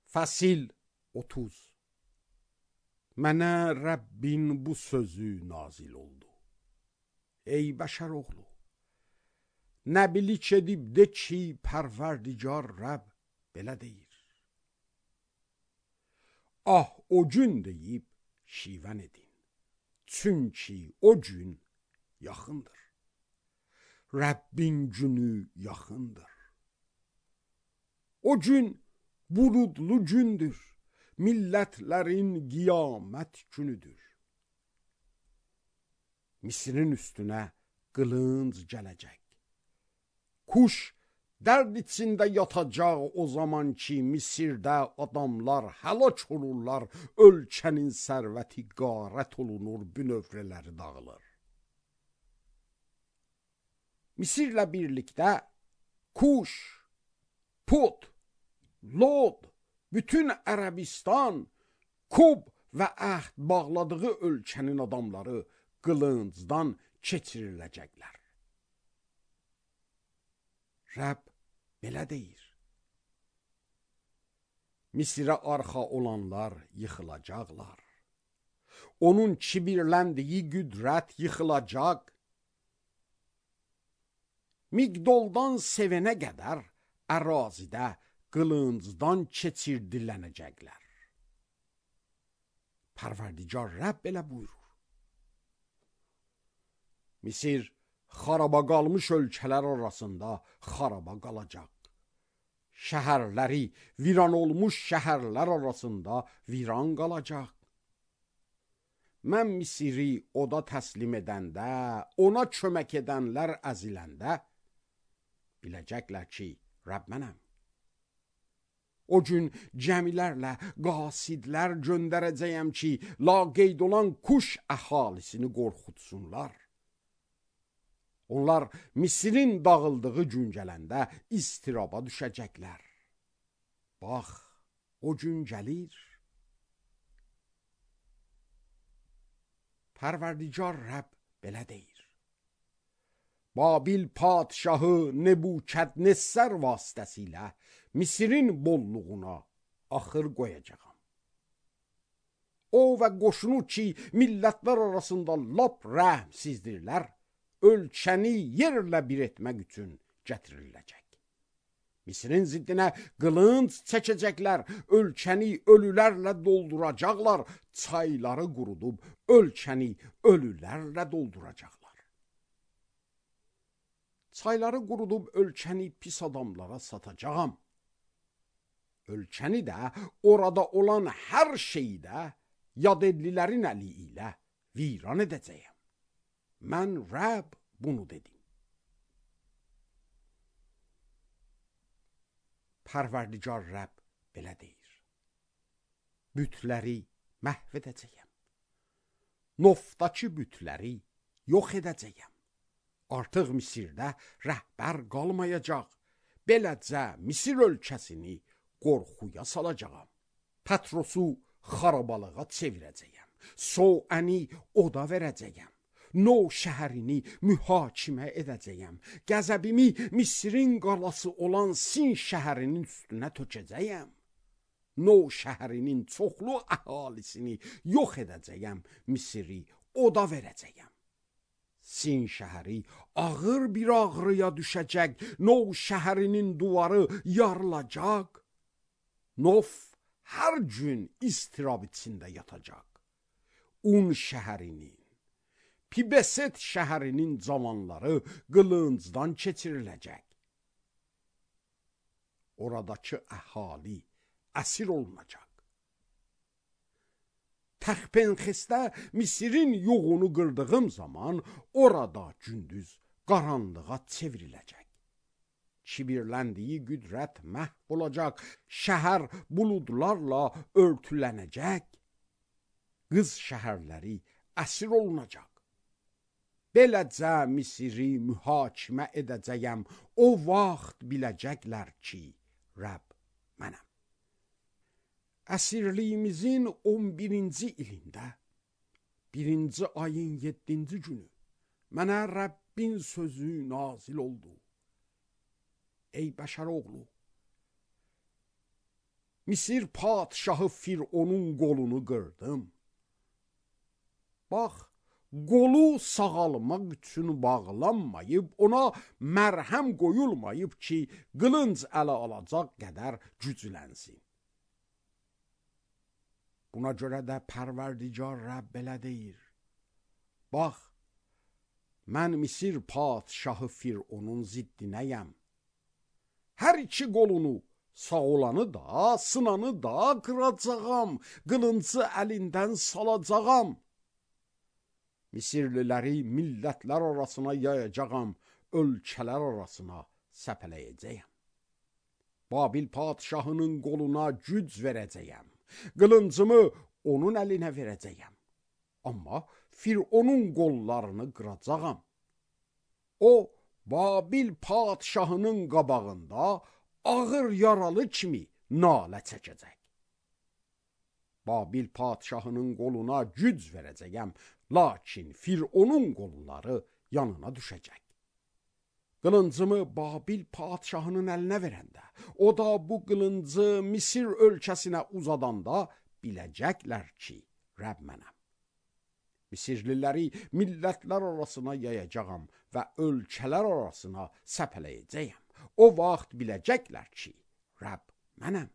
Fəsil 30. Mənə Rəbbin bu sözü nazil oldu. Ey bəşər oğlu, nəbilik edib de ki, Pərverdigar Rəbb belə deyir. Ah, o gün deyib şivən edin, çünki o gün yaxındır. Rəbbin günü yaxındır. O gün buludlu gündür, millətlərin qiyamət günüdür. Misirin üstünə qılınc gələcək. Kuş dərd içində yatacaq o zaman ki, Misirdə adamlar həlak olurlar, ölkənin sərvəti qarət olunur, bünövrələri dağılır. Misirlə birlikdə Kuş, Put, Lod, bütün Ərəbistan, Kub və əhd bağladığı ölkənin adamları qılıncdan keçiriləcəklər. Rəbb belə deyir. Misirə arxa olanlar yıxılacaqlar. Onun kibirləndiyi qüdrət yıxılacaq. Migdoldan Sevenə qədər ərazidə qılıncdan keçirdilənəcəklər. Pərverdigar Rəbb belə buyurur. Misir xaraba qalmış ölkələr arasında xaraba qalacaq. Şəhərləri viran olmuş şəhərlər arasında viran qalacaq. Mən Misiri oda təslim edəndə, ona kömək edənlər əziləndə, biləcəklər ki, Rəbb mənəm. O gün cəmilərlə qasidlər göndərəcəyəm ki, laqeyd olan Kuş əhalisini qorxutsunlar. Onlar Misirin dağıldığı gün gələndə istiraba düşəcəklər. Bax, o gün gəlir. Pərverdigar Rəbb belə deyir. Babil padşahı Nebukadnessar vasitəsilə Misirin bolluğuna axır qoyacağam. O və qoşunu ki, millətlər arasında lap rəhmsizdirlər, ölkəni yerlə bir etmək üçün gətiriləcək. Misirin ziddinə qılınc çəkəcəklər, ölkəni ölülərlə dolduracaqlar, çayları qurudub ölkəni ölülərlə dolduracaqlar. Çayları qurudub ölkəni pis adamlara satacağam. Ölkəni də, orada olan hər şeyi də yad edlilərin əli ilə viran edəcəyəm. Mən Rəbb bunu dedim. Pərverdigar Rəbb belə deyir. Bütləri məhv edəcəyəm. Nofdakı bütləri yox edəcəyəm. Artıq Misirdə rəhbər qalmayacaq. Beləcə Misir ölkəsini qorxuya salacağam. Patrosu xarabalığa çevirəcəyəm. Soəni oda verəcəyəm. No şəhərini mühakimə edəcəyəm. Qəzəbimi Misirin qalası olan Sin şəhərinin üstünə tökəcəyəm. No şəhərinin çoxlu əhalisini yox edəcəyəm. Misiri oda verəcəyəm. Sin şəhəri ağır bir ağrıya düşəcək. No şəhərinin duvarı yarılacaq. Nof hər gün istirab içində yatacaq. Un şəhərinin, Pibeset şəhərinin cavanları qılıncdan keçiriləcək. Oradakı əhali əsir olunacaq. Təxpenxesdə Misirin yoğunu qırdığım zaman orada gündüz qaranlığa çevriləcək. Kibirləndiyi qüdrət məhv olacaq. Şəhər buludlarla örtülənəcək. Qız şəhərləri əsir olunacaq. Beləcə Misiri mühakimə edəcəyəm. O vaxt biləcəklər ki, Rəbb mənəm. Əsirliyimizin 11-ci ilində, 1-ci ayın 7-ci günü mənə Rəbbin sözü nazil oldu. Ey bəşər oğlu, Misir padşahı Fironun qolunu qırdım. Bax, qolu sağalmaq üçün bağlanmayıb, ona mərhəm qoyulmayıb ki, qılınc ələ alacaq qədər güclənsin. Buna görə də Pərverdigar Rəbb belə deyir. Bax, mən Misir padşahı Fironun ziddinəyəm. Hər iki qolunu, sağ olanı da, sınanı da qıracağam, qılıncı əlindən salacağam. Misirliləri millətlər arasına yayacağam, ölkələr arasına səpələyəcəyəm. Babil padşahının qoluna güc verəcəyəm, qılıncımı onun əlinə verəcəyəm. Amma Fironun qollarını qıracağam. O, Babil padşahının qabağında ağır yaralı kimi nalə çəkəcək. Babil padşahının qoluna güc verəcəyəm, lakin Fironun qolları yanına düşəcək. Qılıncımı Babil padşahının əlinə verəndə, o da bu qılıncı Misir ölkəsinə uzadanda biləcəklər ki, Rəbb mənəm. Misirliləri millətlər arasına yayacağam və ölkələr arasına səpələyəcəyəm. O vaxt biləcəklər ki, Rəbb mənəm.